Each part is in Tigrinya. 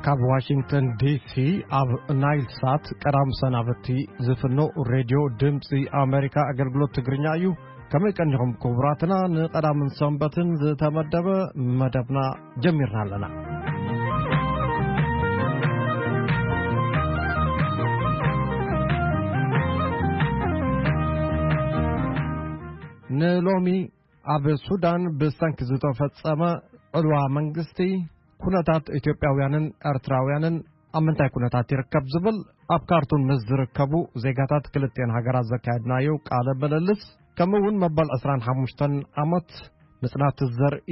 ካብ ዋሽንግተን ዲሲ ኣብ ናይል ሳት ቀዳም ሰናበቲ ዝፍኖ ሬድዮ ድምፂ ኣሜሪካ ኣገልግሎት ትግርኛ እዩ። ከመይ ቀኒኹም ክቡራትና? ንቐዳምን ሰንበትን ዝተመደበ መደብና ጀሚርና ኣለና። ንሎሚ ኣብ ሱዳን ብሰንኪ ዝተፈጸመ ዕልዋ መንግስቲ፣ ኩነታት ኢትዮጵያውያንን ኤርትራውያንን ኣብ ምንታይ ኩነታት ይርከብ ዝብል፣ ኣብ ካርቱም ምስ ዝርከቡ ዜጋታት ክልቲኤን ሃገራት ዘካየድናዮ ቃለ ምልልስ፣ ከምኡ እውን መበል ዕስራን ሓሙሽተን ዓመት ምጽናት ዘርኢ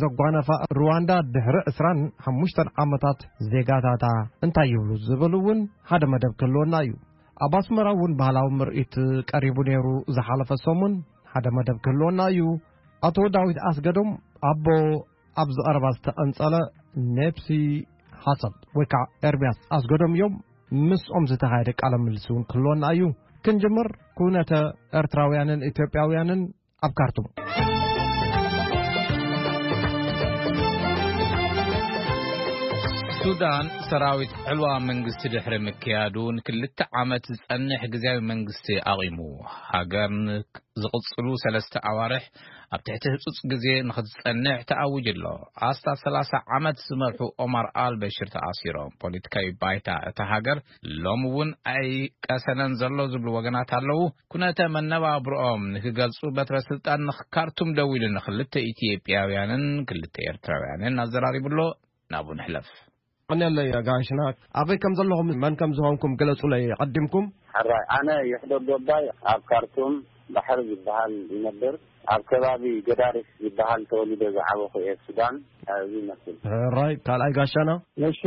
ዘጓነፋ ሩዋንዳ፣ ድሕሪ ዕስራን ሓሙሽተን ዓመታት ዜጋታታ እንታይ ይብሉ ዝብል እውን ሓደ መደብ ክህልወና እዩ። ኣብ ኣስመራ እውን ባህላዊ ምርኢት ቀሪቡ ነይሩ ዝሓለፈ ሰሙን፣ ሓደ መደብ ክህልወና እዩ። ኣቶ ዳዊት ኣስገዶም ኣቦ ኣብዚ ቀረባ ዝተቐንጸለ ኔፕሲ ሃሰል ወይ ከዓ ኤርምያስ ኣስገዶም እዮም። ምስኦም ዝተኻየደ ቃለ ምልልስ እውን ክህልወና እዩ። ክንጅምር፣ ኩነተ ኤርትራውያንን ኢትዮጵያውያንን ኣብ ካርቱም። ሱዳን፣ ሰራዊት ዕልዋ መንግስቲ ድሕሪ ምክያዱ ንክልተ ዓመት ዝጸንሕ ግዝያዊ መንግስቲ ኣቒሙ፣ ሃገር ን-፣ ዝቕጽሉ ሰለስተ ኣዋርሕ ኣብ ትሕቲ ህጹጽ ግዜ ንኽትጸንሕ ተኣዊጁ ኣሎ። ኣስታት ሰላሳ ዓመት ዝመርሑ ኦማር ኣል በሽር ተኣሲሮም። ፖለቲካዊ ባይታ እታ ሃገር ሎም እውን ኣይቀሰነን ዘሎ ዝብሉ ወገናት ኣለዉ። ኩነተ መነባብሮኦም ንክገልጹ በትረ ስልጣን ንካርቱም ደዊሉ ንክልተ ኢትዮጵያውያንን ክልተ ኤርትራውያንን ኣዘራሪቡ ኣሎ። ናብኡ ንሕለፍ። ቀንየለይ ጋሽና፣ ኣበይ ከም ዘለኹም መን ከም ዝኾንኩም ግለጹለይ ቀዲምኩም። ሕራይ፣ ኣነ ይሕደጎ ኣባይ ኣብ ካርቱም ባሕሪ ዝበሃል ይነብር። ኣብ ከባቢ ገዳሪፍ ዝበሃል ተወሊደ ዝዓበኹ እየ፣ ሱዳን። እዚ ይመስል። ሕራይ፣ ካልኣይ ጋሻና። እሺ፣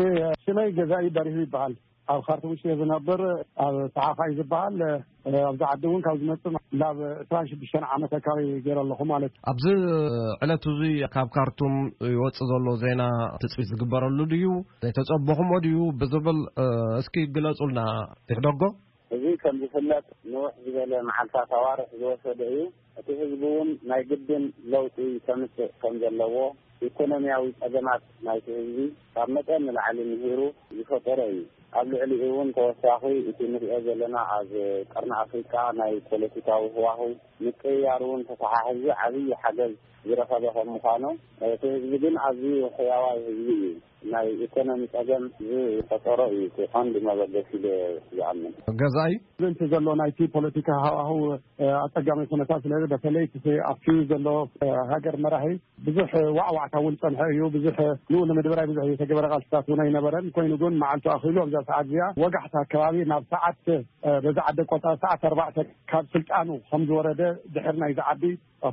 ሽመይ ገዛኢ በሪሁ ይበሃል። ኣብ ካርቱም ውሽጢ እየ ዝነብር። ኣብ ተሓኻይ ዝበሃል፣ ኣብዚ ዓዲ እውን ካብ ዝመጽእ ናብ ዕስራን ሽዱሽተን ዓመት ኣካባቢ ገይረ ኣለኹ ማለት እዩ። ኣብዚ ዕለት እዚ ካብ ካርቱም ይወጽእ ዘሎ ዜና ትጽቢት ዝግበረሉ ድዩ? ዘይተጸበኹሞ ድዩ ብዝብል፣ እ፣ እስኪ ግለጹልና ይሕደጎ። እዚ ከም ዝፍለጥ ንውሕ ዝበለ መዓልታት ኣዋርሕ ዝወሰደ እዩ። እቲ ህዝቢ እውን ናይ ግድን ለውጢ ከምጽእ ከም ዘለዎ፣ ኢኮኖሚያዊ ጸገማት ናይቲ ህዝቢ ካብ መጠን ንላዕሊ ምሂሩ ዝፈጠረ እዩ። ኣብ ልዕሊኡ እውን ተወሳኺ እቲ ንሪኦ ዘለና ኣብ ቀርኒ ኣፍሪቃ ናይ ፖለቲካዊ ህዋህው ምቅይያር እውን ተተሓሒዙ ዓብዪ ሓገዝ ዝረኸበ ከም ምዃኑ፣ እቲ ህዝቢ ግን ኣዝዩ ሕያዋይ ህዝቢ እዩ። ናይ ኢኮኖሚ ጸገም ዝፈጠሮ እዩ እቲ ቀንዲ መበገሲ ኢለ ዝኣምን። ገዛኢ። እቲ ዘሎ ናይቲ ፖለቲካ ሃዋህው፣ እ፣ ኣጸጋሚ ኩነታት ስለ በተለይ እቲ ኣብቲ ዘሎ፣ እ፣ ሃገር መራሒ ብዙሕ ዋዕዋዕታ እውን ጸንሐ እዩ። ብዙሕ ንኡ ንምድብራይ ብዙሕ ዝተገበረ ቃልስታት እውን ኣይነበረን። ኮይኑ ግን መዓልቱ ኣኺሉ ኣብዛ ሰዓት እዚኣ ወጋሕታ ከባቢ ናብ ሰዓት፣ እ፣ በዛ ዓዲ ኣቆጻጽራ ሰዓት ኣርባዕተ ካብ ስልጣኑ ከም ዝወረደ ድሕሪ ናይዚ ዓዲ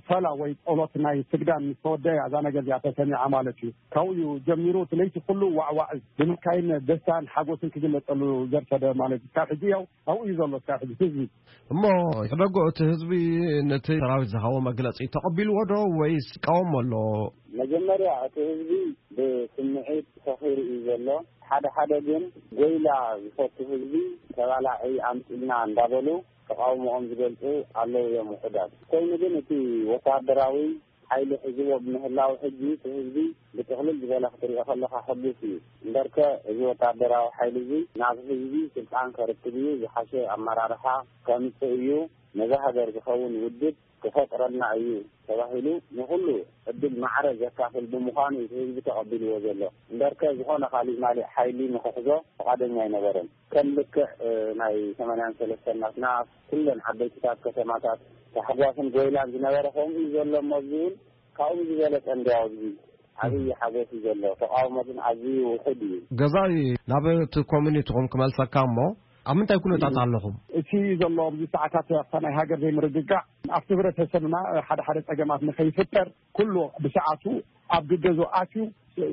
ፈላ ወይ ጸሎት ናይ ስግዳን ምስ ተወደአ እዛ ነገር እዚኣ ተሰሚዓ ማለት እዩ። ካብኡ እዩ ጀሚሩ እቲ ለይቲ ኩሉ ዋዕዋዕ ብምካይን ደስታን ሓጎስን ክግለጸሉ ዘርፈደ ማለት እዩ። ካብ ሕጂ ያው ኣብኡ እዩ ዘሎ እስካብ ሕጂ ህዝቢ። እሞ ይሕደጎ፣ እቲ ህዝቢ ነቲ ሰራዊት ዝሃቦ መግለጺ ተቐቢልዎ ዶ ወይስ ይቃወሞ ኣሎ? መጀመርያ እቲ ህዝቢ ብስምዒት ሰኺሩ እዩ ዘሎ። ሓደ ሓደ ግን ጎይላ ዝፈቱ ህዝቢ ተባላዒ ኣምጺልና እንዳበሉ ተቃውሞኦም ዝገልጹ ኣለዉ እዮም ውሑዳት። ኮይኑ ግን እቲ ወታደራዊ ሓይሊ ሒዝዎ ብምህላው ሕጂ እቲ ህዝቢ ብጥቕልል ዝበለ ክትሪኦ ከለኻ ሕጉስ እዩ። እምበርከ እዚ ወታደራዊ ሓይሊ እዚ ናብ ህዝቢ ስልጣን ከርክብ እዩ፣ ዝሓሸ ኣመራርሓ ከምጽእ እዩ፣ ነዛ ሃገር ዝኸውን ውድብ ክፈጥረልና እዩ ተባሂሉ ንኹሉ ዕድል ማዕረ ዘካፍል ብምዃኑ እዩ እቲ ህዝቢ ተቐቢልዎ ዘሎ። እምበርከ ዝኾነ ካሊእ ማሊእ ሓይሊ ንኽሕዞ ፍቓደኛ ኣይነበረን። ከም ልክዕ፣ እ፣ ናይ ሰማንያን ሰለስተን ናትና ኩለን ዓበይትታት ከተማታት ታሕጓስን ጎይላን ዝነበረ ከምኡ እዩ ዘሎ እሞ፣ እዚ እውን ካብኡ ዝበለጸ እንድያው ኣብዚ ዓብዪ ሓጎስ እዩ ዘሎ። ተቃውሞ ግን ኣዝዩ ውሑድ እዩ። ገዛኢ፣ ናብ እቲ ኮሚኒቲኹም ክመልሰካ እሞ፣ ኣብ ምንታይ ኩነታት ኣለኹም? እቲ ዘሎ ኣብዚ ሰዓታት ኣብታ ናይ ሃገር ዘይምርግጋእ ኣብቲ ህብረተሰብና ሓደ ሓደ ጸገማት ንኸይፍጠር ኩሉ ብሰዓቱ ኣብ ግገዙ ኣትዩ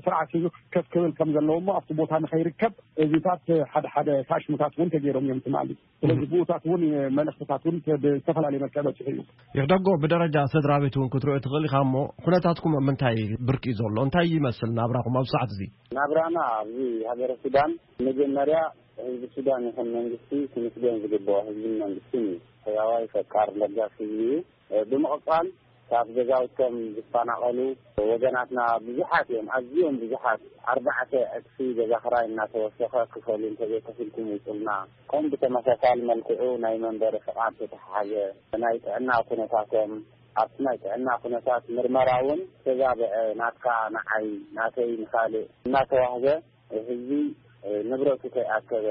ስርዓት ሒዙ ከፍ ክብል ከም ዘለዎ እሞ ኣብቲ ቦታ ንኸይርከብ እዚታት ሓደ ሓደ ታሽሙታት እውን ተገይሮም እዮም ትማሊ። ስለዚ ብኡታት እውን መልእኽትታት እውን ብዝተፈላለየ መልክዕ በፂሑ እዩ። ይሕደጎ፣ ብደረጃ ስድራ ቤት እውን ክትሪኦ ትኽእል ኢኻ እሞ፣ ኩነታትኩም ኣብ ምንታይ ብርኪ እዩ ዘሎ? እንታይ ይመስል ናብራኹም ኣብ ሰዓት እዚ? ናብራና ኣብዚ ሃገረ ሱዳን መጀመርያ ህዝቢ ሱዳን ይኹን መንግስቲ ክምስገን ዝግብኦ ህዝብን መንግስትን እዩ። ሕያዋይ፣ ፈቃር፣ ለጋስ ህዝቢ እዩ። ብምቕጻል ካብ ገዛውቶም ዝፈናቐሉ ወገናትና ብዙሓት እዮም፣ ኣዝዮም ብዙሓት። ኣርባዕተ ዕጽፊ ገዛ ክራይ እናተወሰኸ ክፈሉ እንተዘይከፊልኩም ውጹልና። ከም ብተመሳሳሊ መልክዑ ናይ መንበሪ ፍቓድ ተተሓሓዘ፣ ናይ ጥዕና ኩነታቶም፣ ኣብቲ ናይ ጥዕና ኩነታት ምርመራ እውን ተዛብዐ፣ ናትካ ንዓይ፣ ናተይ ንኻልእ እናተዋህበ ህዝቢ ንብረቱ ከይኣከበ፣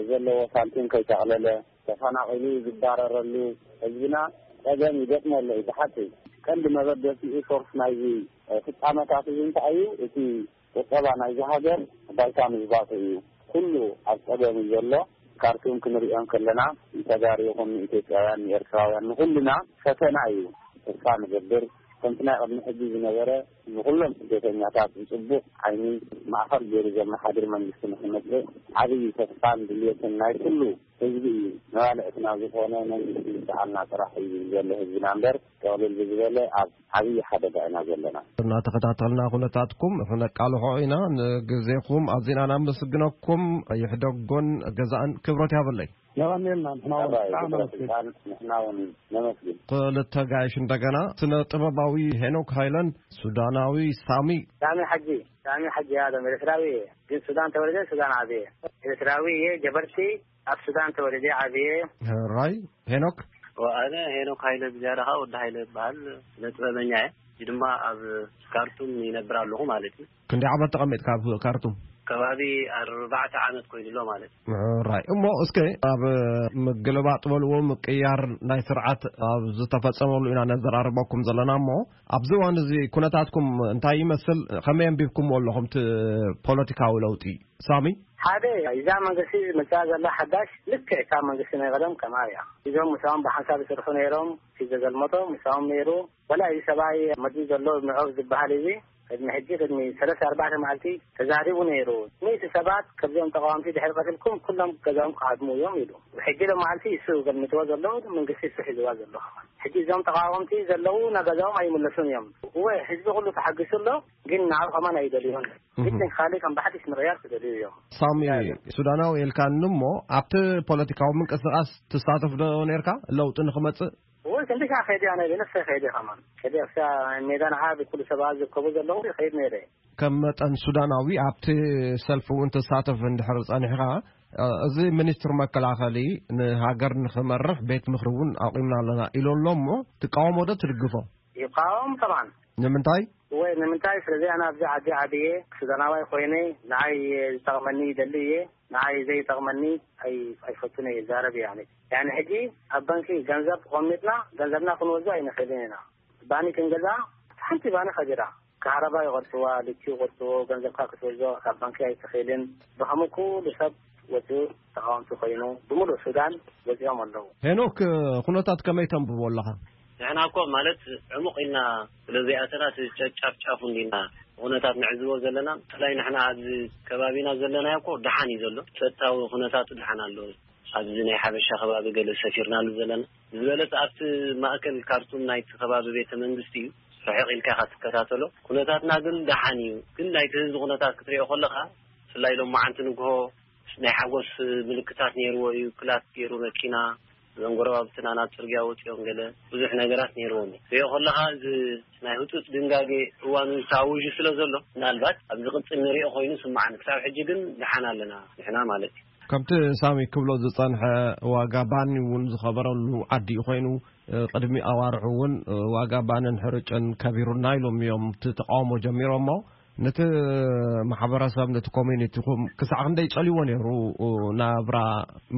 ዘለዎ ሳንቲም ከይጠቕለለ፣ ተፈናቒሉ ዝባረረሉ ህዝብና ጸገም ይገጥሞ ኣሎ እዩ። ብሓቂ ቀንዲ መበገሲኡ ሶርስ ናይዚ ፍጻመታት እዚ እንታይ እዩ? እቲ ቁጠባ ናይዚ ሃገር ባይታ ምዝባጡ እዩ። ኩሉ ኣብ ጸገም እዩ ዘሎ። ካርቱም ክንሪኦ ከለና ንተጋሩ ይኹን ንኢትዮጵያውያን ንኤርትራውያን ንኹልና ፈተና እዩ። ተስፋ ንገብር ከምቲ ናይ ቅድሚ ሕጂ ዝነበረ ንኹሎም ስደተኛታት ብጽቡቕ ዓይኒ ማእኸል ገይሩ ዘመሓድር መንግስቲ ንክመጽእ ዓብዪ ተስፋን ድልየትን ናይ ኩሉ ህዝቢ እዩ። መባልዕትና ዝኾነ መንግስቲ ይምጽኣልና ጥራሕ እዩ ዝብል ዘሎ ህዝብና እምበር፣ ጠቕልል ብዝበለ ኣብ ዓብዪ ሓደጋ ኢና ዘለና። እናተኸታተልና ኩነታትኩም ክነቃልሖ ኢና። ንግዜኹም ኣዚና ናመስግነኩም። ይሕደጎን ገዛእን ክብረት ያበለይ። የቐንየልና፣ ንሕና እውን ኣባይ ብጣዕሚ ግብረ ነመስግን። ስልጣን፣ ንሕና እውን ነመስግን። ክልተ ጋይሽ እንደገና፣ ስነ ጥበባዊ ሄኖክ ሃይለን ሱዳናዊ ሳሚ። ሳሚ ሓጂ፣ ሳሚ ሓጂ ኣለም ኤርትራዊ እየ፣ ግን ሱዳን ተወልደ ሱዳን ዓብየ። ኤርትራዊ እየ፣ ጀበርቲ፣ ኣብ ሱዳን ተወልደ ዓብየ። ራይ ሄኖክ። ኣነ ሄኖክ ሃይለ ብዝያዳ ከዓ ወዲ ሃይለ ይበሃል፣ ስነ ጥበበኛ እየ። እዚ ድማ ኣብ ካርቱም ይነብር ኣለኹ ማለት እዩ። ክንደይ ዓመት ተቐሚጥካ ኣብ ካርቱም? ከባቢ ኣርባዕተ ዓመት ኮይኑ ኣሎ ማለት እዩ። ራይ እሞ እስከ ኣብ ምግልባጥ በልዎ ምቅያር ናይ ስርዓት ኣብ ዝተፈጸመሉ ኢና ነዘራርበኩም ዘለና እሞ ኣብዚ እዋን እዚ ኩነታትኩም እንታይ ይመስል? ከመይ ኣንቢብኩምዎ ኣለኹም እቲ ፖለቲካዊ ለውጢ? ሳሚ። ሓደ እዛ መንግስቲ መፅኣ ዘላ ሓዳሽ ልክዕ ካብ መንግስቲ ናይ ቀደም ከምኣ እያ። እዞም ምሳኦም ብሓንሳብ ዝስርሑ ነይሮም፣ እቲ ዘገልመጦ ምሳኦም ነይሩ። ወላ እዚ ሰብኣይ መዚ ዘሎ ምዕብ ዝበሃል እዚ ቅድሚ ሕጂ ቅድሚ ሰለስተ ኣርባዕተ መዓልቲ ተዛሪቡ ነይሩ። ሚእቲ ሰባት ከብዚኦም ተቃወምቲ ድሕሪ ቀትልኩም ኩሎም ገዛኦም ክሃድሙ እዮም ኢሉ። ሕጂ ሎ መዓልቲ እሱ ገልምጥዎ ዘሎ መንግስቲ እሱ ሒዝዋ ዘሎ። ሕጂ እዞም ተቃወምቲ ዘለዉ ናገዛኦም ኣይምለሱን እዮም። እወ ህዝቢ ኩሉ ተሓጊሱ ኣሎ፣ ግን ንዓኡ ከማን ኣይደልዮን። ግድን ካልእ ከም ብሓድሽ ምቕያር ክደልዩ እዮም። ሳሚ ሱዳናዊ ኢልካኒ እሞ ኣብቲ ፖለቲካዊ ምንቅስቃስ ትሳተፍ ዶ ነርካ ለውጢ ንክመጽእ? ወይ ክንዲ ከዓ ከይደ ኣነ ብነፍሰይ ከይደ ከማን ከይደ ኣብታ ሜዳ ንዓ ብኩሉ ሰባት ዝርከቡ ዘለዉ ከይድ ነይረ። ከም መጠን ሱዳናዊ ኣብቲ ሰልፊ እውን ትሳተፍ እንድሕር ጸኒሕኻ፣ እዚ ሚኒስትር መከላኸሊ ንሃገር ንኽመርሕ ቤት ምኽሪ እውን ኣቑምና ኣለና ኢሉ ኣሎ እሞ ትቃወሞ ዶ ትድግፎ? ይቃወም ከማን። ንምንታይ? ወይ ንምንታይ? ስለዚ ኣነ ኣብዚ ዓዲ ዓብየ ሱዳናዋይ ኮይነ ንዓይ ዝጠቕመኒ ይደሊ እየ፣ ንዓይ ዘይጠቕመኒ ኣይ- ኣይፈቱን እየ ይዛረብ እየ። ኣነ ያኒ ሕጂ ኣብ ባንኪ ገንዘብ ቆሚጥና ገንዘብና ክንወስዶ ኣይንኽእልን ኢና። ባኒ ክንገዛ ሓንቲ ባኒ ከቢራ፣ ካህረባ ይቆርፅዋ፣ ልኪ ይቆርፅዎ፣ ገንዘብካ ክትወስዶ ካብ ባንኪ ኣይትኽእልን። ብኸምኡ ኩሉ ሰብ ወፂኡ ተቃወምቲ ኮይኑ ብምሉእ ሱዳን ወፂኦም ኣለዉ። ሄኖክ፣ ኩነታት ከመይ ተንብቦ ኣለኻ? ንሕና እኮ ማለት ዕሙቕ ኢልና ስለ ዘይኣተና እቲ ጨጫፍ ጫፉ እንዲና ኩነታት ንዕዝቦ ዘለና። ብፍላይ ንሕና ኣብዚ ከባቢና ዘለናዮ እኮ ደሓን እዩ ዘሎ፣ ጸጥታዊ ኩነታቱ ደሓን ኣሎ። ኣብዚ ናይ ሓበሻ ከባቢ ገለ ሰፊርናሉ ዘለና ዝበለጸ ኣብቲ ማእከል ካርቱም ናይቲ ከባቢ ቤተ መንግስቲ እዩ። ርሕቕ ኢልካ ኢኻ ትከታተሎ። ኩነታትና ግን ደሓን እዩ። ግን ናይቲ ህዝቢ ኩነታት ክትሪኦ ከለኻ ብፍላይ ሎማዓንቲ ንግሆ ናይ ሓጎስ ምልክታት ነይርዎ እዩ። ክላት ገይሩ መኪና፣ እዞም ጎረባብትና ናብ ጽርግያ ወጺኦም ገለ ብዙሕ ነገራት ነይርዎም እዩ። ሪኦ ከለኻ እዚ ናይ ህጹጽ ድንጋጌ እዋኑ ተኣዊጁ ስለ ዘሎ ምናልባት ኣብ ዝቕጽል ንሪኦ ኮይኑ ይስምዓኒ። ክሳብ ሕጂ ግን ደሓን ኣለና ንሕና ማለት እዩ። ከምቲ ሳሚ ክብሎ ዝጸንሐ ዋጋ ባኒ እውን ዝኸበረሉ ዓዲ እዩ ኮይኑ፣ ቅድሚ ኣዋርሑ እውን ዋጋ ባንን ሕርጭን ከቢሩና ኢሎም እዮም እቲ ተቃውሞ ጀሚሮሞ። ነቲ ማሕበረሰብ ነቲ ኮሚኒቲኹም ክሳዕ ክንደይ ጸልዎ ነይሩ ናብራ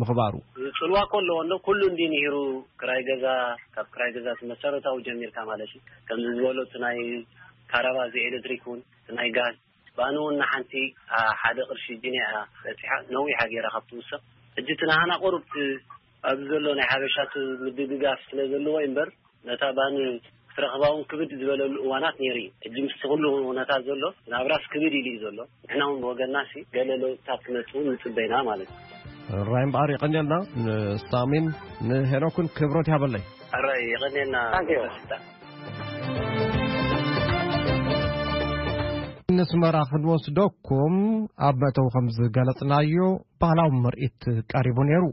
ምኽባሩ? ጽልዋ እኮ ኣለዎ እንዶ ኩሉ እንዲ ንሂሩ ክራይ ገዛ፣ ካብ ክራይ ገዛ እቲ መሰረታዊ ጀሚርካ ማለት እዩ። ከምዚ ዝበሎ እቲ ናይ ካረባ እዚ ኤሌክትሪክ እውን እቲ ናይ ጋዝ ባኒ እውን ንሓንቲ ሓደ ቅርሺ ጅንያ እያ በፂሓ ነዊሓ ገይራ ካብ ትውሰኽ። ሕጂ እቲ ናህና ቁሩብ እቲ ኣብዚ ዘሎ ናይ ሓበሻ እቲ ምድግጋፍ ስለ ዘለዎ እዩ እምበር ነታ ባኒ ክትረኽባ እውን ክብድ ዝበለሉ እዋናት ነይሩ እዩ። ሕጂ ምስቲ ኩሉ ኩነታት ዘሎ ናብራስ ክብድ ኢሉ እዩ ዘሎ። ንሕና እውን ብወገንና ሲ ገለ ለውጥታት ክመፅእ እውን ንፅበ ኢና ማለት እዩ። ራይ እምበኣር የቐንየልና ንሳሚን ንሄኖክን ክብረት ያበለይ። ኣራይ የቐንየልና። ታንኪዩ። ንስመራ ክንወስደኩም ኣብ መእተዊ ከም ዝገለጽናዮ ባህላዊ ምርኢት ቀሪቡ ነይሩ።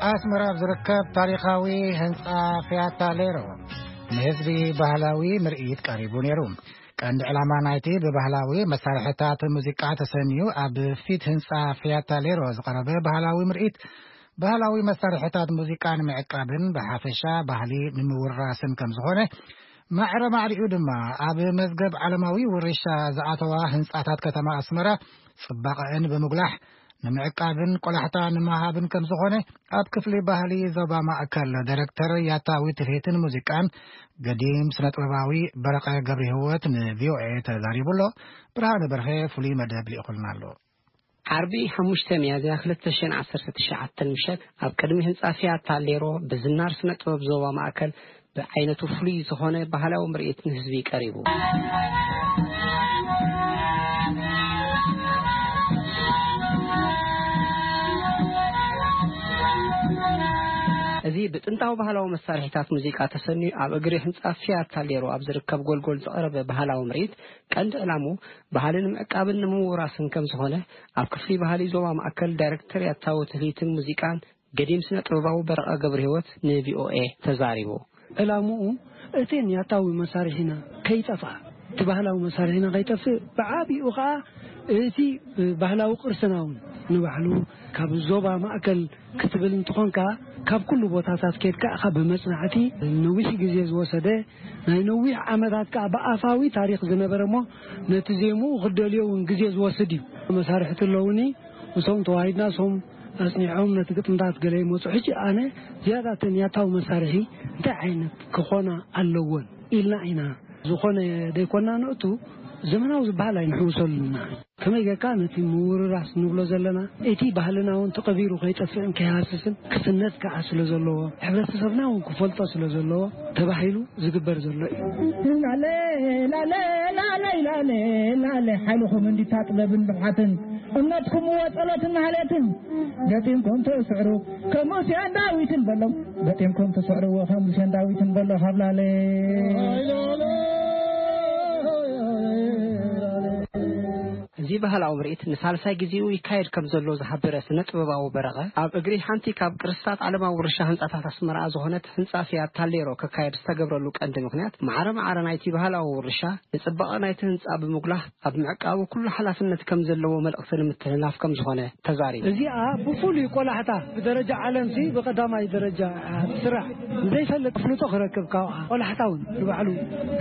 ኣስመራ ኣብ ዝርከብ ታሪኻዊ ህንጻ ፊያታ ሌሮ ንህዝቢ ባህላዊ ምርኢት ቀሪቡ ነይሩ። ቀንዲ ዕላማ ናይቲ ብባህላዊ መሳርሕታት ሙዚቃ ተሰንዩ ኣብ ፊት ህንጻ ፊያታ ሌሮ ዝቐረበ ባህላዊ ምርኢት፣ ባህላዊ መሳርሕታት ሙዚቃ ንምዕቃብን ብሓፈሻ ባህሊ ንምውራስን ከም ዝኾነ፣ ማዕረ ማዕሪኡ ድማ ኣብ መዝገብ ዓለማዊ ውርሻ ዝኣተዋ ህንጻታት ከተማ ኣስመራ ጽባቐአን ብምጉላሕ ንምዕቃብን ቆላሕታ ንምሃብን ከም ዝኾነ ኣብ ክፍሊ ባህሊ ዞባ ማእከል ዳይሬክተር ያታዊ ትልሂትን ሙዚቃን ገዲም ስነ ጥበባዊ በረቐ ገብረ ህይወት ን ቪ ኦ ኤ ተዛሪቡ ኣሎ። ብርሃነ በርሀ ፍሉይ መደብ ልኢኹልና ኣሎ። ዓርቢ ሓሙሽተ ሚያዝያ ክልተ ሽሕን ዓሰርተ ትሽዓተን ምሸት ኣብ ቅድሚ ህንጻ ፊያታ ሌሮ ብዝናር ስነ ጥበብ ዞባ ማእከል ብዓይነቱ ፍሉይ ዝኾነ ባህላዊ ምርኢት ንህዝቢ ቀሪቡ። እዚ ብጥንታዊ ባህላዊ መሳርሒታት ሙዚቃ ተሰንዩ ኣብ እግሪ ህንጻ ፊያታ ሌሮ ኣብ ዝርከብ ጎልጎል ዝቐረበ ባህላዊ ምርኢት ቀንዲ ዕላሙ ባህልን ምዕቃብን ንምውራስን ከም ዝኾነ ኣብ ክፍሊ ባህሊ ዞባ ማእከል ዳይሬክተር ያታዊ ትልሂትን ሙዚቃን ገዲም ስነ ጥበባዊ በረቐ ገብረ ህይወት ን ቪ ኦ ኤ ተዛሪቡ። ዕላምኡ እቲ ያታዊ መሳርሒና ከይጠፍኣ፣ እቲ ባህላዊ መሳርሒና ከይጠፍእ፣ ብዓቢኡ ኸኣ እቲ ባህላዊ ቅርስና እውን ንባዕሉ ካብ ዞባ ማእከል ክትብል እንትኾንካ፣ ካብ ኩሉ ቦታታት ኬድካ ኢኻ ብመጽናዕቲ ነዊሕ ግዜ ዝወሰደ፣ ናይ ነዊሕ ዓመታት ከኣ ብኣፋዊ ታሪኽ ዝነበረ እሞ ነቲ ዜምኡ ክደልዮ እውን ግዜ ዝወስድ እዩ። መሳርሕቲ ኣለውኒ፣ እሶም ተዋሂድና እሶም ኣጽኒዖም ነቲ ግጥምታት ገለ ይመጹ። ሕጂ ኣነ ዝያዳ እተን ያታዊ መሳርሒ እንታይ ዓይነት ክኾና ኣለወን ኢልና ኢና ዝኾነ ደይኮና ንእቱ ዘመናዊ ዝበሃል ኣይንሕውሰሉና። ከመይ ጌርካ ነቲ ምውርራስ ንብሎ ዘለና እቲ ባህልና እውን ተቐቢሩ ከይጠፍእን ከይሃስስን ክስነድ ከዓ ስለ ዘለዎ፣ ሕብረተሰብና እውን ክፈልጦ ስለ ዘለዎ ተባሂሉ ዝግበር ዘሎ እዩ። ላለ፣ ላለ፣ ላለ፣ ላለ፣ ላለ፣ ሓይልኹም እንዲታ ጥበብን ብቕዓትን፣ እምነትኩም እወ ጸሎትን ማህሌትን፣ ገጢምኩም ትስዕሩ ከም ሙሴን ዳዊትን በሎም፣ ገጢምኩም ትስዕሩ እወ ከም ሙሴን ዳዊትን በሎ ካብ ላለ። እዚ ባህላዊ ምርኢት ንሳልሳይ ግዜኡ ይካየድ ከም ዘሎ ዝሓበረ ስነ ጥበባዊ በረቐ፣ ኣብ እግሪ ሓንቲ ካብ ቅርስታት ዓለማዊ ውርሻ ህንጻታት ኣስመራ ዝኾነት ህንጻ ፊያት ታሌሮ ክካየድ ዝተገብረሉ ቀንዲ ምኽንያት፣ ማዕረ ማዕረ ናይቲ ባህላዊ ውርሻ ንጽባቐ ናይቲ ህንጻ ብምጉላህ፣ ኣብ ምዕቃቡ ኩሉ ሓላፍነት ከም ዘለዎ መልእኽቲ ንምትሕልላፍ ከም ዝኾነ ተዛሪቡ። እዚኣ ብፍሉይ ቆላሕታ ብደረጃ ዓለምሲ ብቐዳማይ ደረጃ ትስራሕ። ዘይፈልጥ ኣፍልጦ ክረክብ ካብኣ ቆላሕታ እውን ንባዕሉ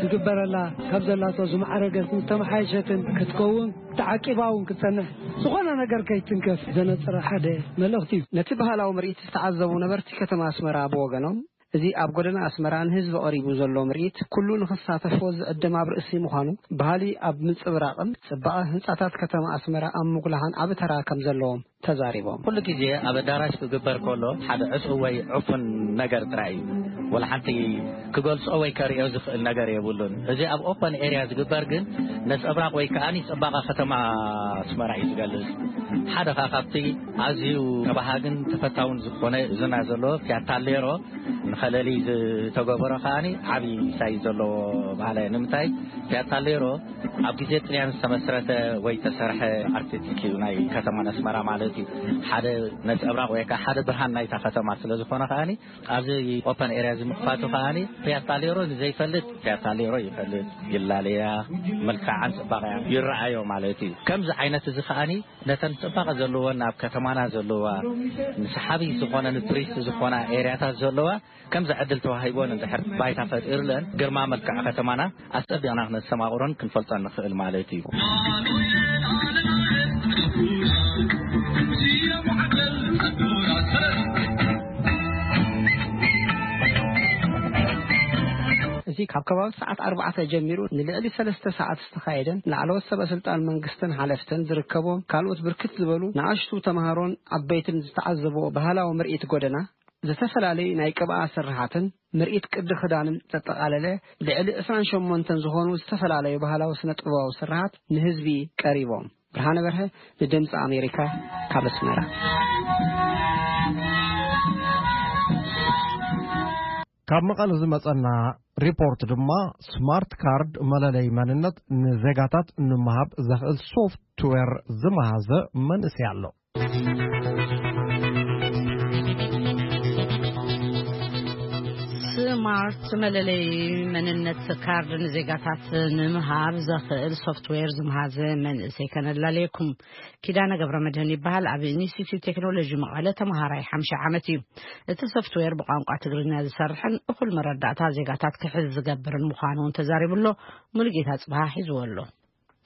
ክግበረላ ካብ ዘላቶ ዝማዕረገት ዝተመሓየሸትን ክትከውን ተዓቂባ እውን ክትጸንሕ፣ ዝኾነ ነገር ከይትንከፍ ዘነጽረ ሓደ መልእኽቲ እዩ። ነቲ ባህላዊ ምርኢት ዝተዓዘቡ ነበርቲ ከተማ ኣስመራ ብወገኖም፣ እዚ ኣብ ጎደና ኣስመራ ንህዝቢ ቀሪቡ ዘሎ ምርኢት ኩሉ ንኽሳተፎ ዝዕድም ኣብ ርእሲ ምዃኑ፣ ባህሊ ኣብ ምንጽብራቕን ጽባቐ ህንጻታት ከተማ ኣስመራ ኣብ ምጉላሕን ዓቢ ተራ ከም ዘለዎም ተዛሪቦም። ኩሉ ግዜ ኣብ ኣዳራሽ ክግበር ከሎ ሓደ ዕጹው ወይ ዕፉን ነገር ጥራይ እዩ። ወላ ሓንቲ ክገልጾ ወይ ከርእዮ ዝኽእል ነገር የብሉን። እዚ ኣብ ኦፐን ኤርያ ዝግበር ግን ነጸብራቕ ወይ ከኣ ጽባቐ ከተማ ኣስመራ እዩ ዝገልጽ። ሓደ ኸኣ ካብቲ ኣዝዩ ተባሃግን ተፈታውን ዝኾነ ዝና ዘለዎ ፊያታ ሌሮ ንኸለሊ ዝተገበሮ ከኣ ዓቢ ሳይ ዘለዎ ባህሊ እዩ። ንምንታይ ፊያታ ሌሮ ኣብ ግዜ ጥልያን ዝተመስረተ ወይ ተሰርሐ ኣርቲስቲክ እዩ ናይ ከተማ ኣስመራ ማለት እዩ። ሓደ ነጸብራቕ ወይ ከኣ ሓደ ብርሃን ናይታ ከተማ ስለ ዝኾነ ከኣ ኣብዚ ኦፐን ኤርያ እዚ ምኽፋቱ ከኣ ፊያታ ሌሮ ንዘይፈልጥ ፊያታ ሌሮ ይፈልጥ፣ ይላለያ፣ መልክዓን ጽባቐያ ይረኣዮ ማለት እዩ። ከምዚ ዓይነት እዚ ከኣ ነተን ጽባቐ ዘለወን ኣብ ከተማና ዘለዋ ንሰሓቢ ዝኾነ ንቱሪስት ዝኾና ኤርያታት ዘለዋ ከምዚ ዕድል ተዋሂቦን እንድሕር ባይታ ፈጢርለን ግርማ መልክዕ ከተማና ኣጸቢቕና ክነስተማቕሮን ክንፈልጦን ንኽእል ማለት እዩ። እዚ ካብ ከባቢ ሰዓት ኣርባዕተ ጀሚሩ ንልዕሊ ሰለስተ ሰዓት ዝተኻየደን ላዕለዎት ሰበ ስልጣን መንግስትን ሓለፍትን ዝርከቦም ካልኦት ብርክት ዝበሉ ንኣሽቱ ተምሃሮን ዓበይትን ዝተዓዘብዎ ባህላዊ ምርኢት ጎደና፣ ዝተፈላለዩ ናይ ቅብኣ ስርሓትን ምርኢት ቅዲ ክዳንን ዘጠቓለለ ልዕሊ ዕስራን ሸሞንተን ዝኾኑ ዝተፈላለዩ ባህላዊ ስነ ጥበባዊ ስርሓት ንህዝቢ ቀሪቦም። ብርሃነ በርሀ ንድምፂ ኣሜሪካ ካብ ኣስመራ። ካብ መቐለ ዝመጸና ሪፖርት ድማ ስማርት ካርድ መለለይ መንነት ንዜጋታት ንምሃብ ዘኽእል ሶፍትዌር ዝመሃዘ መንእሰይ ኣሎ። ስማርት መለለይ መንነት ካርድ ንዜጋታት ንምሃብ ዘኽእል ሶፍትዌር ዝመሃዘ መንእሰይ ከነላልየኩም። ኪዳነ ገብረ መድህን ይበሃል። ኣብ ኢንስቲትዩት ቴክኖሎጂ መቐለ ተምሃራይ ሓምሻይ ዓመት እዩ። እቲ ሶፍትዌር ብቋንቋ ትግርኛ ዝሰርሕን እኹል መረዳእታ ዜጋታት ክሕዝ ዝገብርን ምዃኑ እውን ተዛሪቡ ኣሎ። ሙሉጌታ ጽብሃ ሒዝዎ ኣሎ።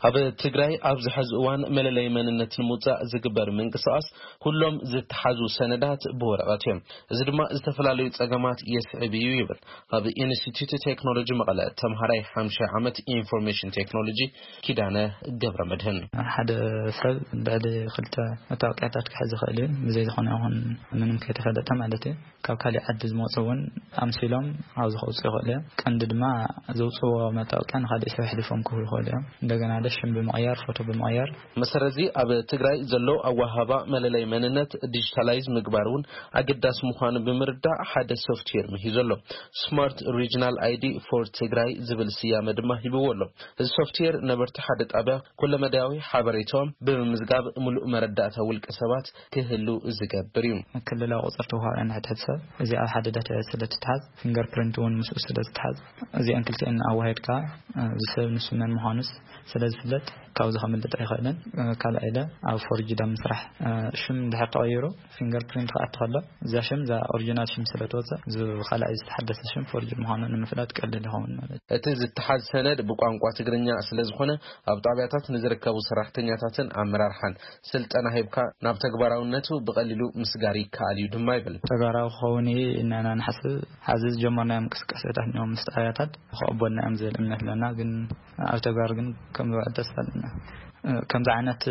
ኣብ ትግራይ ኣብዚ ሐዚ እዋን መለለይ መንነት ንምውፃእ ዝግበር ምንቅስቃስ ኩሎም ዝተሓዙ ሰነዳት ብወረቐት እዮም። እዚ ድማ ዝተፈላለዩ ፀገማት የስዕብ እዩ ይብል ኣብ ኢንስቲትዩት ቴክኖሎጂ መቐለ ተምሃራይ ሓምሻይ ዓመት ኢንፎርሜሽን ቴክኖሎጂ ኪዳነ ገብረ መድህን። ሓደ ሰብ ልዕሊ ክልተ መታወቂያታት ክሕዝ ይኽእል እዩ፣ ብዘይ ዝኾነ ይኹን ምንም ከይተፈለጠ ማለት እዩ። ካብ ካሊእ ዓዲ ዝመፁ እውን ኣምሲሎም ኣብዚ ከውፅኡ ይኽእሉ እዮም። ቀንዲ ድማ ዘውፅዎ መታወቂያ ንካሊእ ሰብ ኣሕሊፎም ክህቡ ይኽእሉ እዮም። እንደገና ደ ሽም ብምቕያር፣ ፎቶ ብምቕያር። መሰረት እዚ ኣብ ትግራይ ዘሎ ኣወሃባ መለለይ መንነት ዲጂታላይዝ ምግባር እውን ኣገዳሲ ምዃኑ ብምርዳእ ሓደ ሶፍትዌር ምሂዙ ኣሎ። ስማርት ሪጅናል ኣይዲ ፎር ትግራይ ዝብል ስያመ ድማ ሂብዎ ኣሎ። እዚ ሶፍትዌር ነበርቲ ሓደ ጣብያ ኩለመዳያዊ ሓበሬታኦም ብምምዝጋብ ምሉእ መረዳእታ ውልቀ ሰባት ክህሉ ዝገብር እዩ። ክልላዊ ቁፅሪ ተወሃቢ ንሕድሕድ ሰብ እዚ ኣብ ሓደ ዳታቤዝ ስለ ትትሓዝ፣ ፊንገር ፕሪንት እውን ምስኡ ስለ ዝትሓዝ፣ እዚአን ክልቲአን ኣዋሂድካ፣ እ፣ እዚ ሰብ ንሱ መን ምዃኑስ ስለ ዝፍለጥ ካብዚ ከምልጥ ኣይኽእልን። እ፣ ካልኣይ ኢለ ኣብ ፎርጅድ ኣብ ምስራሕ፣ እ፣ ሽም እንድሕር ተቐይሩ ፊንገር ፕሪንት ክኣቲ ከሎ እዛ ሽም እዛ ኦሪጂናል ሽም ስለ ትወፅእ እዚ ካልኣይ ዝተሓደሰ ሽም ፎርጅድ ምዃኑ ንምፍላጥ ቀሊል ይኸውን ማለት እዩ። እቲ ዝተሓዝ ሰነድ ብቋንቋ ትግርኛ ስለ ዝኾነ ኣብ ጣብያታት ንዝርከቡ ሰራሕተኛታትን ኣመራርሓን ስልጠና ሂብካ ናብ ተግባራውነቱ ብቐሊሉ ምስጋር ይከኣል እዩ ድማ ይብል። ተግባራዊ ክኸውን እዩ ኢልና ኢና ንሓስብ። ሐዚ ዝጀመርናዮም እንቅስቃሴታት እኒኦም ምስ ጣብያታት ክቕበልና እዮም ዝብል እምነት ኣለና። ግን ኣብ ተግባር ግን ከም ዝውዕል ተስፋ ኣለና። ከምዚ ዓይነት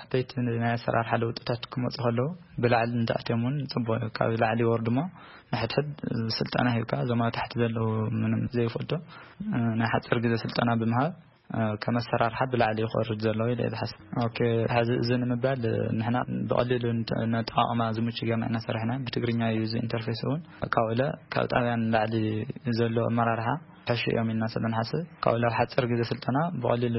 ዓበይቲ ናይ ኣሰራርሓ ለውጥታት ክመፁ ከለዉ ብላዕሊ እንተኣትዮም እውን ፅቡቅ እዩ። ካብ ላዕሊ ይወርዱ እሞ ንሕድሕድ ስልጠና ሂብካ እዞም ኣብ ታሕቲ ዘለዉ ምንም ዘይፈልጡ ናይ ሓፂር ግዜ ስልጠና ብምሃብ ከም ኣሰራርሓ ብላዕሊ ይኸርድ ዘሎ ኢለ እየ ዝሓስብ። ኦኬ፣ ሕዚ እዚ ንምባል ንሕና ብቐሊሉ ንተ-፣ ነጠቓቕማ ዝምቹ ጌርና ኢና ሰሪሕና። ብትግርኛ እዩ እዚ ኢንተርፌስ እውን። ካብኡ ኢለ ካብ ጣብያ ንላዕሊ ዘሎ ኣመራርሓ ሕሹ እዮም ኢልና ስለ ንሓስብ፣ ካብኡ ኢለ ኣብ ሓፂር ግዜ ስልጠና ብቐሊሉ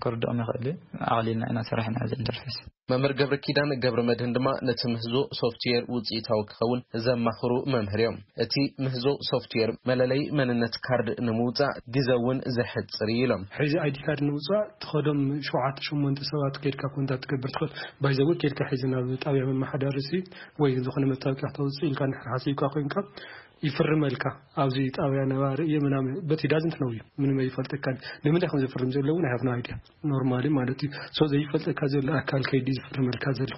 ክርድኦም ይኽእል እዩ። ኣቕሊልና ኢና ሰሪሕና እዚ ኢንተርፌስ። መምህር ገብረ ኪዳን ገብረ መድህን ድማ ነቲ ምህዞ ሶፍትዌር ውፅኢታዊ ክኸውን ዘማኽሩ መምህር እዮም። እቲ ምህዞ ሶፍትዌር መለለይ መንነት ካርድ ንምውፃእ ግዘ እውን ዘሕፅር እዩ ኢሎም። ሕዚ ኣይዲ ካርድ ንምውፃእ ትኸዶም ሸውዓተ ሸሞንተ ሰባት ከይድካ ኮንታክት ትገብር ትኽእል። ባይዘዊ ከይድካ ሕዚ ናብ ጣብያ መመሓዳሪ ሲ ወይ ዝኾነ መታወቂያ ክተውፅእ ኢልካ እንድሕር ሓሲብካ ኮይንካ ይፍርመልካ። ኣብዚ ጣብያ ነባሪ እየ ምናምን፣ but he doesn't know you፣ ምንም ኣይፈልጠካን። ንምንታይ ከም ዘፍርም ዘለዎ ናይ ሃፍና ኣይድያ ኖርማሊ ማለት እዩ። ሶ ዘይፈልጠካ ዘሎ ኣካል ከይዲ ዝፍርመልካ ዘሎ።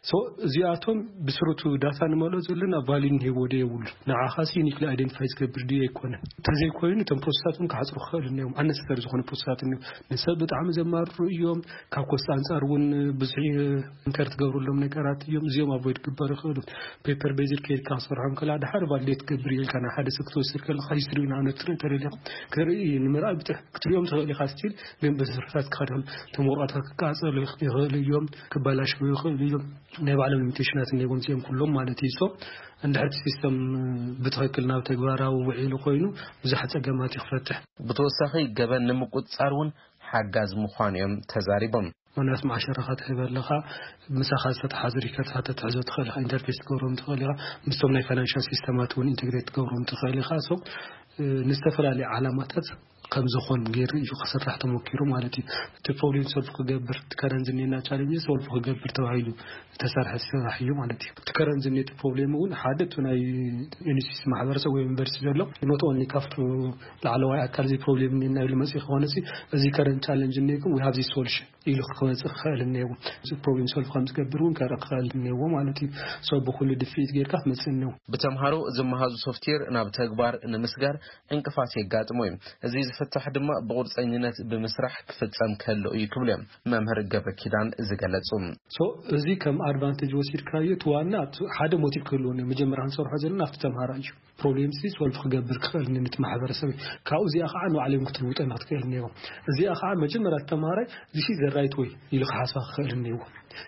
ሶ እዚኣቶም ብስሩቱ ዳታ ንመልኦ ዘለና ቫሊድ ንህቦ ዶ የብሉ፣ ንዓኻሲ ዩኒክሊ ኣይደንቲፋይ ዝገብር ድዩ ኣይኮነን። እንተዘይኮይኑ እቶም ፕሮሰሳት እውን ክሓፅሩ ክኽእል እኒኦም፣ ኣነሰሰሪ ዝኾነ ፕሮሰሳት እኒኦም። ንሰብ ብጣዕሚ ዘማርሩ እዮም። ካብ ኮስት ኣንፃር እውን ብዙሕ ኢንከር ትገብሩሎም ነገራት እዮም። እዚኦም ኣቮይድ ክግበሩ ይኽእሉ። ፔፐር ቤዝድ ከይድካ ክሰርሖም ከላ ድሓር ቫሊዴት ትገብር እየ ኢልካ ናብ ሓደ ሰብ ክትወስድ ከለካ ሂስትሪ ንኣብነት ትርኢ ተደሊኻ ክትርኢ ንምርኣይ ብጥሕ ክትሪኦም ትኽእል ኢኻ። ስቲል ግን ብስርሕታት ክኸደሉ እቶም ወረቐታት ክቃፀሉ ይኽእሉ እዮም፣ ክበላሸው ይኽእሉ እዮም። ናይ ባዕሎም ሊሚቴሽናት እኒዎም እዚኦም ኩሎም ማለት እዩ። ሶ እንድሕር እቲ ሲስተም ብትኽክል ናብ ተግባራዊ ውዒሉ ኮይኑ ብዙሕ ፀገማት ይኽፈትሕ። ብተወሳኺ ገበን ንምቁፅፃር እውን ሓጋዝ ምዃኑ እዮም ተዛሪቦም። ምክንያቱ መዓሸራኻ ትህብ ኣለኻ፣ ምሳኻ ዝተተሓዙ ሪከርድታት ተትሕዞ ትኽእል ኢኻ፣ ኢንተርፌስ ትገብሮም ትኽእል ኢኻ፣ ምስቶም ናይ ፋይናንሻል ሲስተማት እውን ኢንተግሬት ትገብሮም ትኽእል ኢኻ። ሶ ንዝተፈላለዩ ዓላማታት ከም ዝኾን ገይሩ እዩ ክስራሕ ተሞኪሩ ማለት እዩ። እቲ ፕሮብሌም ሶልቭ ክገብር፣ እቲ ከረንት ዝኔና ቻሌንጅ ሶልቭ ክገብር ተባሂሉ ዝተሰርሐ ስራሕ እዩ ማለት እዩ። እቲ ከረንት ዝኔ እቲ ፕሮብሌም እውን ሓደ እቲ ናይ ኢንስቲትዩት ማሕበረሰብ ወይ ዩኒቨርሲቲ ዘሎ ኖት ኦንሊ ካብቱ ላዕለዋይ ኣካል እዚ ፕሮብሌም እኒና ኢሉ መፅእ ክኾነ እዚ ከረንት ቻሌንጅ እኒኩም ወይ ሃብዚ ሶሉሽን ኢሉ ክመፅእ ክኽእል እኒሄዎ። እዚ ፕሮብሌም ሶልቭ ከም ዝገብር እውን ከርኢ ክኽእል እኒሄዎ ማለት እዩ። ሶ ብኩሉ ድፍኢት ጌርካ ክመፅእ እኒሄዎ። ብተምሃሮ ዝመሃዙ ሶፍትዌር ናብ ተግባር ንምስጋር ዕንቅፋት የጋጥሞ እዩ። እዚ ዝፍታሕ ድማ ብቁርፀኝነት ብምስራሕ ክፍፀም ከሎ እዩ ክብሉ እዮም መምህር ገብረ ኪዳን ዝገለፁ። ሶ እዚ ከም ኣድቫንቴጅ ወሲድካዮ እቲ ዋና እቲ ሓደ ሞቲቭ ክህልዎ እኒሄዎ። መጀመርያ ክንሰርሖ ዘለና ኣብቲ ተምሃራይ እዩ። ፕሮብሌም ሲ ሶልቭ ክገብር ክኽእል ነቲ ማሕበረሰብ እዩ። ካብኡ እዚኣ ከዓ ንባዕሎም ክትልውጠና ክትክእል እኒሄዎ። እዚኣ ከዓ መጀመርያ ተምሃራይ this is the right way ኢሉ ክሓስባ ክኽእል እኒሄዎ።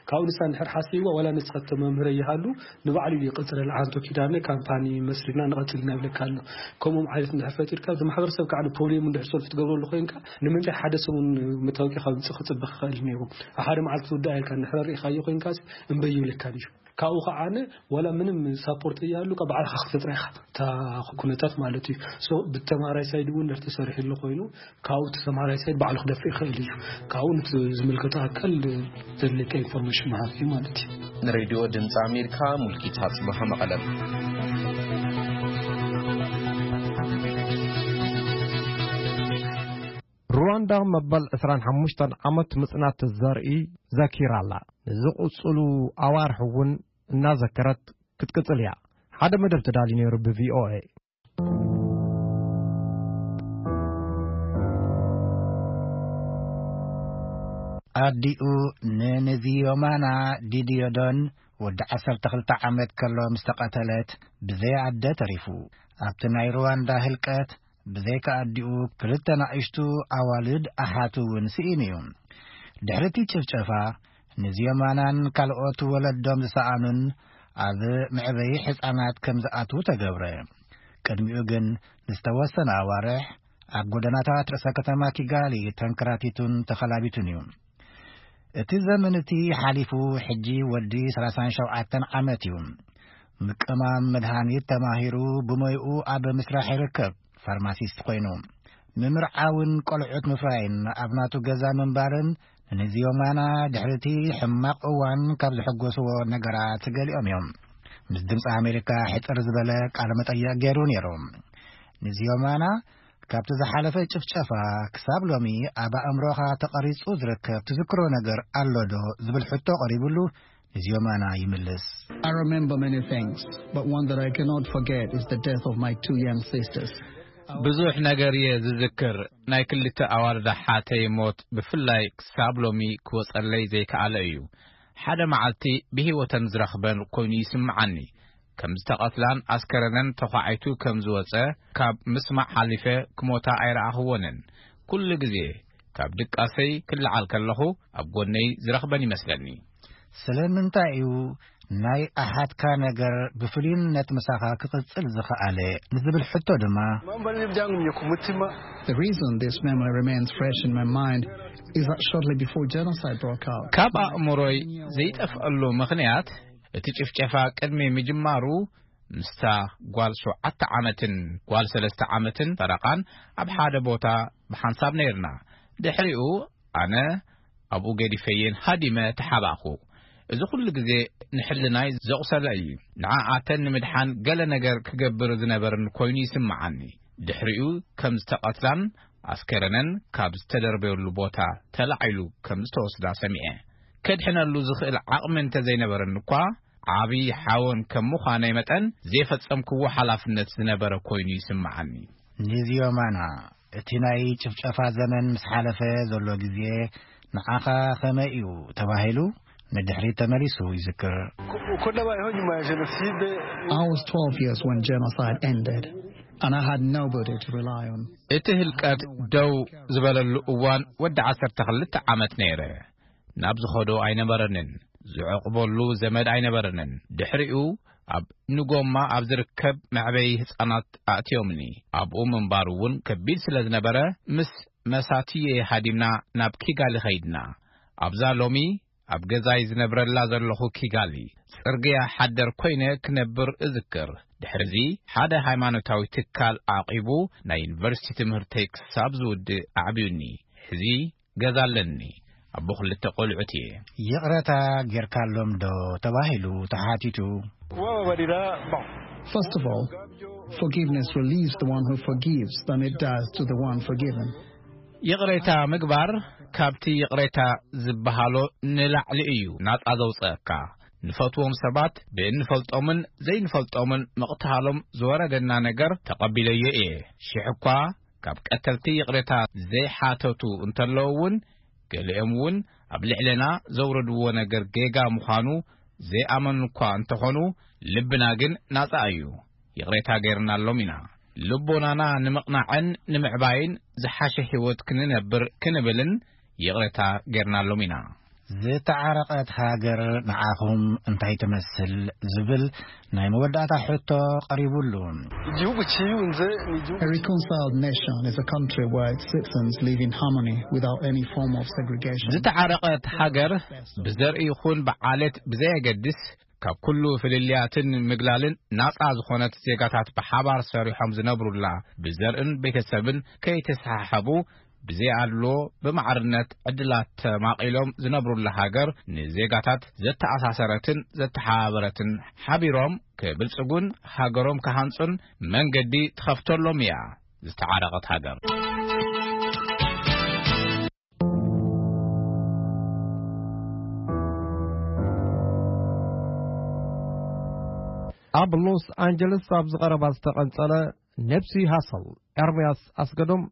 ካብኡ ንሳ እንድሕር ሓሲብዋ ዋላ ንስኻ ተመምህረ ይሃሉ ንባዕሉ እዩ ይቕፅለል። ዓንቶ ኪዳነ ካምፓኒ መስሪትና ንቐፅል ኢና ይብለካ ኣሎ። ከምኦም ዓይነት እንድሕር ፈጢርካ እቲ ማሕበረሰብ ከዓ ንፕሮብሌሙ እንድሕር ሶልቭ ትገብረሉ ኮይንካ ንምንታይ ሓደ ሰሙን መታወቂያ ካብ ምፅእ ክፅበ ክኽእል እኒሄዎ። ኣብ ሓደ መዓልቲ ትውዳእ ኢልካ እንድሕር ርኢኻዮ ኮይንካ እምበይ ይብለካ እዩ። ካብኡ ከዓነ ዋላ ምንም ሳፖርት እያሉ ካብ ባዕልኻ ክትፈጥራ ኢኻ፣ እታ ኩነታት ማለት እዩ። ሶ ብተማራይ ሳይድ እውን እንድሕር ተሰሪሕሉ ኮይኑ፣ ካብኡ እቲ ተማራይ ሳይድ ባዕሉ ክደፍእ ይኽእል እዩ። ካብኡ ነቲ ዝምልከቶ ኣካል ዘድልየካ ኢንፎርሜሽን ምሃብ እዩ ማለት እዩ። ንሬድዮ ድምፂ ኣሜሪካ፣ ሙልጌታ ጽባህ፣ መቐለም። ሩዋንዳ መበል ዕስራን ሓሙሽተን ዓመት ምጽናት ዘርኢ ዘኪራ ኣላ። ንዝቕጽሉ ኣዋርሕ እውን እናዘከረት ክትቅጽል እያ። ሓደ መደብ ተዳልዩ ነይሩ ብቪኦኤ። ኣዲኡ ንንዚዮማና ዲዲዮዶን ወዲ ዓሰርተ ክልተ ዓመት ከሎ ምስ ተቐተለት፣ ብዘይ ኣደ ተሪፉ። ኣብቲ ናይ ሩዋንዳ ህልቀት፣ ብዘይካ ኣዲኡ፣ ክልተ ናእሽቱ ኣዋልድ ኣሓቱ እውን ስኢኑ እዩ። ድሕሪ እቲ ጭፍጨፋ፣ ንዚዮማናን ካልኦት ወለዶም ዝሰኣኑን ኣብ መዕበዪ ሕጻናት ከም ዝኣትዉ ተገብረ። ቅድሚኡ ግን ንዝተወሰነ ኣዋርሕ ኣብ ጎደናታት ርእሰ ከተማ ኪጋሊ ተንከራቲቱን ተኸላቢቱን እዩ። እቲ ዘመን እቲ ሓሊፉ፣ ሕጂ ወዲ ሰላሳን ሸውዓተን ዓመት እዩ። ምቅማም መድሃኒት ተማሂሩ፣ ብሞይኡ ኣብ ምስራሕ ይርከብ። ፋርማሲስት ኮይኑ፣ ምምርዓውን ቆልዑት ምፍራይን ኣብ ናቱ ገዛ ምንባርን ንንዚዮማና ድሕሪ እቲ ሕማቕ እዋን ካብ ዘሐጎስዎ ነገራት ገሊኦም እዮም። ምስ ድምፂ ኣሜሪካ ሕፅር ዝበለ ቃለ መጠይቕ ገይሩ ነይሩ። ንዚዮማና ካብቲ ዝሓለፈ ጭፍጨፋ ክሳብ ሎሚ ኣብ ኣእምሮኻ ተቐሪጹ ዝርከብ ትዝክሮ ነገር ኣሎ ዶ? ዝብል ሕቶ ቀሪቡሉ፣ ንዚዮማና ይምልስ። I remember many things, but one that I cannot forget is the death of my two young sisters. ብዙሕ ነገር እየ ዝዝክር። ናይ ክልተ ኣዋልድ ኣሓተይ ሞት ብፍላይ ክሳብ ሎሚ ክወጸለይ ዘይከኣለ እዩ። ሓደ መዓልቲ ብህይወተን ዝረኽበን ኮይኑ ይስምዓኒ። ከም ዝተቐትላን ኣስከረነን ተዃዒቱ ከም ዝወጸ ካብ ምስማዕ ሓሊፈ ክሞታ ኣይረኣኽወንን። ኩሉ ግዜ ካብ ድቃሰይ ክለዓል ከለኹ ኣብ ጎነይ ዝረኽበን ይመስለኒ። ስለምንታይ እዩ ናይ ኣሓትካ ነገር ብፍሉይነት ምሳኻ ክቕጽል ዝኸኣለ ንዝብል ሕቶ ድማ፣ Mambo yalivyangu ku mutima. The reason this memory remains fresh in my mind is that shortly before genocide broke out, ካብ ኣእምሮይ ዘይጠፍኣሉ ምኽንያት፣ እቲ ጭፍጨፋ ቅድሚ ምጅማሩ ምስታ ጓል ሸውዓተ ዓመትን ጓል ሰለስተ ዓመትን ፈረቓን ኣብ ሓደ ቦታ ብሓንሳብ ነይርና። ድሕሪኡ ኣነ ኣብኡ ገዲፈየን ሃዲመ ተሓባእኹ። እዚ ኩሉ ግዜ ንሕልናይ ዘቑሰለ እዩ። ንዓኣተን ንምድሓን ገለ ነገር ክገብር ዝነበርን ኮይኑ ይስምዓኒ። ድሕሪኡ ከም ዝተቐትላን ኣስከረነን ካብ ዝተደርበየሉ ቦታ ተላዒሉ ከም ዝተወስዳ ሰሚዐ። ከድሕነሉ ዝኽእል ዓቕሚ እንተዘይነበረኒ እኳ፣ ዓቢ ሓወን ከም ምዃነይ መጠን፣ ዘይፈጸምክዎ ሓላፍነት ዝነበረ ኮይኑ ይስምዓኒ። ንዚዮማና፣ እቲ ናይ ጭፍጨፋ ዘመን ምስ ሓለፈ ዘሎ ግዜ ንዓኻ ከመይ እዩ ተባሂሉ ንድሕሪት ተመሊሱ ይዝክር። Ku-, ku ntaba iho nyuma ya jenoside. I was twelve years when genocide ended, and I had nobody to rely on. እቲ ህልቀት ደው ዝበለሉ እዋን ወዲ ዓሰርተ ክልተ ዓመት ነይረ። ናብ ዝኸዶ ኣይነበረንን። ዝዕቕበሉ ዘመድ ኣይነበረንን። ድሕሪኡ ኣብ ንጎማ ኣብ ዝርከብ መዕበዪ ህጻናት ኣእትዮምኒ። ኣብኡ ምንባር እውን ከቢድ ስለ ዝነበረ፣ ምስ መሳትየይ ሃዲምና ናብ ኪጋሊ ኸይድና። ኣብዛ ሎሚ ኣብ ገዛይ ዝነብረላ ዘለኹ ኪጋሊ፣ ጽርግያ ሓደር ኮይነ ክነብር እዝክር። ድሕርዚ ሓደ ሃይማኖታዊ ትካል ዓቂቡ ናይ ዩኒቨርሲቲ ትምህርተይ ክሳብ ዝውድእ ኣዕብዩኒ። ሕዚ ገዛ ኣለኒ። ኣቦ ክልተ ቆልዑት እየ። ይቕረታ ጌርካሎም ዶ ተባሂሉ ተሓቲቱ። Kubabarira, bon. First of all, forgiveness relieves the one who forgives than it does to the one forgiven. ይቕሬታ ምግባር ካብቲ ይቕሬታ ዝበሃሎ ንላዕሊ እዩ ናጻ ዘውጽኣካ። ንፈትዎም ሰባት ብእንፈልጦምን ዘይንፈልጦምን ምቕታሎም ዝወረደና ነገር ተቐቢለዮ እየ። ሽሕ እኳ ካብ ቀተልቲ ይቕሬታ ዘይሓተቱ እንተለዉ እውን፣ ገሊኦም እውን ኣብ ልዕሌና ዘውረድዎ ነገር ጌጋ ምዃኑ ዘይኣመኑ እኳ እንተኾኑ፣ ልብና ግን ናጻ እዩ። ይቕሬታ ገይርናሎም ኢና። ልቦናና ንምቕናዕን ንምዕባይን ዝሓሸ ህይወት ክንነብር ክንብልን ይቕሬታ ገይርናሎም ኢና። ዝተዓረቐት ሃገር ንዓኹም እንታይ ትመስል ዝብል ናይ መወዳእታ ሕቶ ቀሪቡሉ። Igihugu cyiyunze ni igihugu. A reconciled nation is a country where its citizens live in harmony without any form of segregation. ዝተዓረቐት ሃገር ብዘርኢ ይኹን ብዓሌት ብዘየገድስ ካብ ኩሉ ፍልልያትን ምግላልን ናጻ ዝኾነት፣ ዜጋታት ብሓባር ሰሪሖም ዝነብሩላ፣ ብዘርእን ቤተሰብን ከይተሰሓሓቡ፣ ብዘይ ኣድሎ ብማዕርነት ዕድላት ተማቒሎም ዝነብሩላ ሃገር፣ ንዜጋታት ዘተኣሳሰረትን ዘተሓባበረትን፣ ሓቢሮም ክብልጽጉን ሃገሮም ክሃንጹን መንገዲ ትኸፍተሎም እያ ዝተዓረቐት ሃገር። ኣብ ሎስ ኣንጀለስ ኣብ ዝቐረባ ዝተቐንጸለ ነብሲ ሃሰል፣ ኤርምያስ ኣስገዶም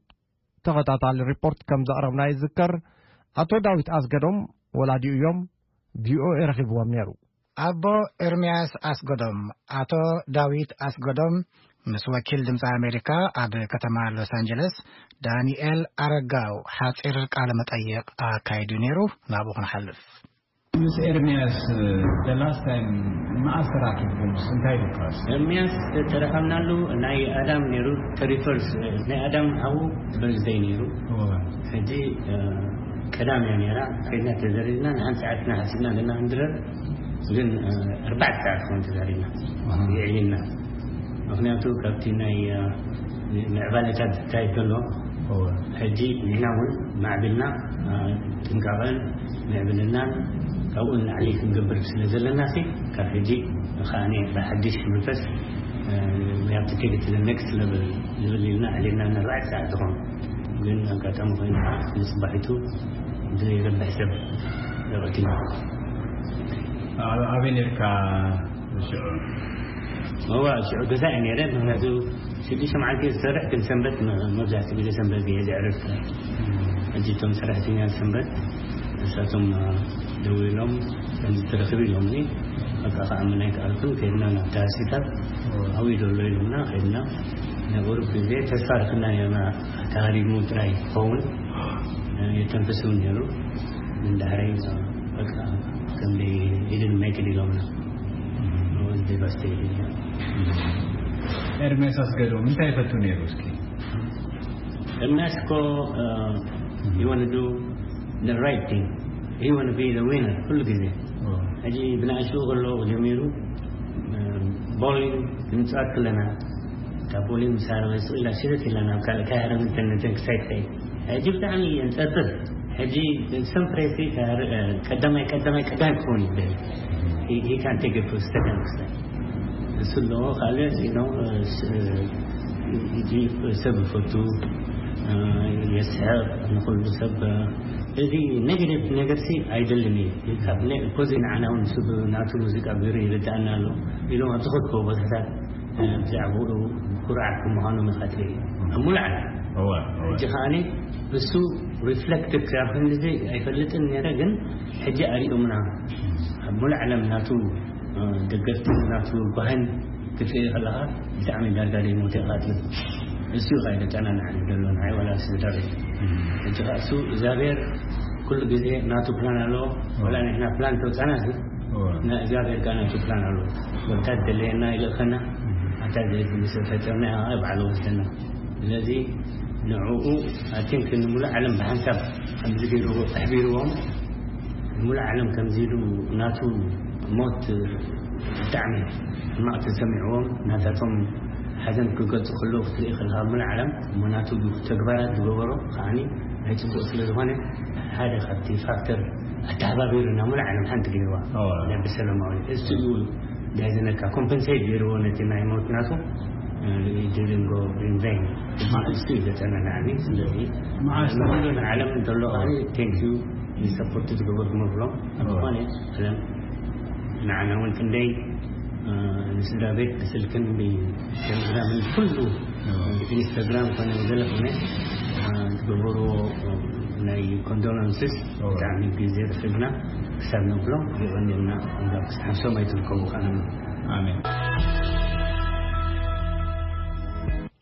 ተኸታታሊ ሪፖርት ከም ዘቕረብና ይዝከር። ኣቶ ዳዊት ኣስገዶም ወላዲኡ እዮም፣ ቪኦኤ ረኺብዎም ነይሩ። ኣቦ ኤርምያስ ኣስገዶም፣ ኣቶ ዳዊት ኣስገዶም፣ ምስ ወኪል ድምፂ ኣሜሪካ ኣብ ከተማ ሎስ ኣንጀለስ፣ ዳንኤል ኣረጋው፣ ሓፂር ቃለ መጠይቕ ኣካይዱ ነይሩ። ናብኡ ክንሓልፍ። ምስ ኤርምያስ፣ the last time መኣስ ተራኺብኩምስ? እንታይ ኢሉካስ? ኤርምያስ ተራኸብናሉ ናይ ኣዳም ነይሩ፣ ተሪፈርስ፣ ናይ ኣዳም ሓዉ በርዝደይ ነይሩ። እወ። ሕጂ፣ እ፣ ቀዳም እያ ነይራ። ከይድና ተዘሪርና፣ ንሓንቲ ሰዓት ኢና ሓሲብና፣ ገና ክንድረር፣ ግን፣ እ፣ ኣርባዕተ ሰዓት ክኸውን ተዛሪብና። ኣሃ። የዕሊልና። ምኽንያቱ ካብቲ ናይ፣ እ፣ ምዕባለታት ዝካየድ ዘሎ፣ እወ። ሕጂ ንሕና እውን ማዕቢልና፣ እ፣ ጥንቃቐን ምዕብልናን ካብኡ ንላዕሊ ክንገብር ስለ ዘለናሲ፣ ካብ ሕጂ ከኣ ብሓድሽ መንፈስ፣ እ፣ we have to take it to the next level ዝብል ኢልና ኣዕሊልና፣ ንኣርባዕተ ሰዓት ዝኾን። ግን ኣጋጣሚ ኮይኑ ከዓ ንጽባሒቱ ብዘይረብሕ ሰብ ተቐቲሉ። ኣብ-፣ ኣበይ ነርካ ሽዑ? እዋ፣ ሽዑ ገዛ እየ ነይረ። ምኽንያቱ ሽዱሽተ መዓልቲ እየ ዝሰርሕ፣ ግን ሰንበት መ-፣ መብዛሕትኡ ግዜ ሰንበት እየ ዘዕርፍ። ሕጂ እቶም ሰራሕተኛ ሰንበት ንሳቶም፣ እ፣ ደዊሎም ከምዚ ትረኽብ ኢሎምኒ። በቃ፣ ከኣ ምናይ ከኣልኩን ከይድና ናብቲ ሆስፒታል። ኣብኡ ዘሎ ኢሎምና፣ ከይድና። ናይ ቁሩብ ግዜ ተስፋ ረኽብና ነርና፣ ተሃሪሙ ጥራይ ክኸውን፣ እ፣ የተንፍስ እውን ነይሩ። ግን ዳሕረይ፣ እ፣ በቃ፣ ከም they didn't make it ኢሎምና። I was devastated። ኤርምያስ ኣስገዶም እንታይ ይፈቱ ነይሩ እስኪ? ኤርምያስ እኮ፣ እ፣ he wanna do the right thing. He wanna be the winner ኩሉ ግዜ። ኦ። ሕጂ ብንኣሽቱ ከሎ ጀሚሩ፣ እ፣ ቦሊንግ ንምጽዋት ከለና፣ እታ ቦሊንግ ምስ ሃረመ ስቕ ኢላ ሽርት ኢላ ናብ ካልእ ካይሃረመት ነተን ክሳይ ትኸይድ። ሕጂ ብጣዕሚ የንጸርጽር። ሕጂ ሰም ፕሬሲ ካር-፣ እ፣ ቀዳማይ፣ ቀዳማይ፣ ቀዳማይ ክኸውን ይደሊ። He፣ he can't take it to second step። እሱ ኣለዎ፣ ካልእ፣ you know፣ እ፣ ስ-፣ እ፣ እ፣ ሰብ ይፈቱ፣ እ፣ የስሕቕ፣ ንኹሉ ሰብ፣ እ፣ እዚ ኔጌቲቭ ነገርሲ ኣይደልን እዩ። ካብ ነ-፣ ኮዚ ንዓና እውን እሱ ናቱ ሙዚቃ ገይሩ ይርድኣና ኣሎ ኢሎም ኣብ ዝኸድክዎ ቦታታት፣ እ፣ ብዛዕባኡ ኩርዓት ከም ምዃኖም ኢኻ ትርኢ። ኣብ ሙሉእ ዓለም። እወ፣ እወ። ሕጂ ከኣኒ እሱ ሪፍሌክቲቭ ካብ ክንድዚ ኣይፈልጥን ነይረ፣ ግን ሕጂ ኣሪኦምና። ኣብ ሙሉእ ዓለም ናቱ፣ እ፣ ደገፍቲ ናቱ ጓህን ክትርኢ ከለኻ ብጣዕሚ ዳርጋ ደይሞተ ኢኻ ትብል። እሱ እዩ ኸይደ ጨናናዕኒ ዘሎ ንዓይ ዋላ ስድራ ቤት። እም። ሕጂ ኸኣ እሱ እግዚኣብሔር ኩሉ ግዜ ናቱ ፕላን ኣለዎ። እወ። ዋላ ንሕና ፕላን ተውፃና ሲ፣ እወ። ና እግዚኣብሔር ከኣ ናቱ ፕላን ኣለዎ። ወታ ደለየና ይልእኸና፣ እም። ኣታ ዘይትምስ ፈጠርና፣ ባዕሉ ወስደና። ስለዚ ንዕኡ፣ I think፣ ንምሉእ ዓለም ብሓንሳብ ከምዚ ገይርዎ፣ ኣሕቢርዎም፣ ንምሉእ ዓለም ከምዚ ኢሉ ናቱ ሞት ብጣዕሚ ሕማቕ ተሰሚዕዎም፣ ናታቶም ሓዘን ክገልጹ ከለዉ ክትርኢ ከለኻ፣ ኣብ ምሉእ ዓለም እሞ ናቱ ተግባራት ዝገበሮ ከዓኒ ናይ ጽቡቕ ስለ ዝኾነ፣ ሓደ ካብቲ ፋክተር ኣተሓባቢሩ ናብ ምሉእ ዓለም ሓንቲ ገይርዋ። ኦ። ናይ ብሰላማዊ እሱ እዩ ዳይዘነካ ኮምፐንሴት ገይርዎ ነቲ ናይ ሞት ናቱ፣ እ፣ didn't go in vain። እሱ እዩ ዘጸናናዕኒ። ስለዚ መዓስ ንዓለም እንተሎ፣ thank you ንሰፖርት ዝገበርኩም እብሎም። ዝኾነ ዓለም ንዓና እውን ክንደይ፣ እ፣ ንስድራ ቤት ብስልክን ብቴሌግራምን ኩሉ ኢንስታግራም ኮነ ገለ ኮነ፣ እ፣ ዝገበርዎ ናይ ኮንዶለንስስ ብጣዕሚ ግዜ ረኺብና ክሳብ ነብሎም የቐንየልና። እዛ ክሳብ ሓምሶም ኣይትርከቡ ከኣና። ኣሜን።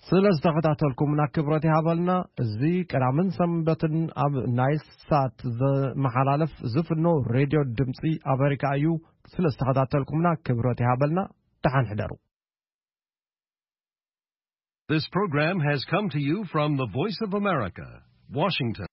ስለ ዝተኸታተልኩምና ክብረት ይሃበልና። እዚ ቀዳምን ሰንበትን ኣብ ናይል ሳት ዘመሓላለፍ ዝፍኖ ሬድዮ ድምፂ ኣሜሪካ እዩ። ስለ ዝተኸታተልኩምና ክብረት ይሃበልና። ደሓን ሕደሩ። This program has come to you from the Voice of America, Washington.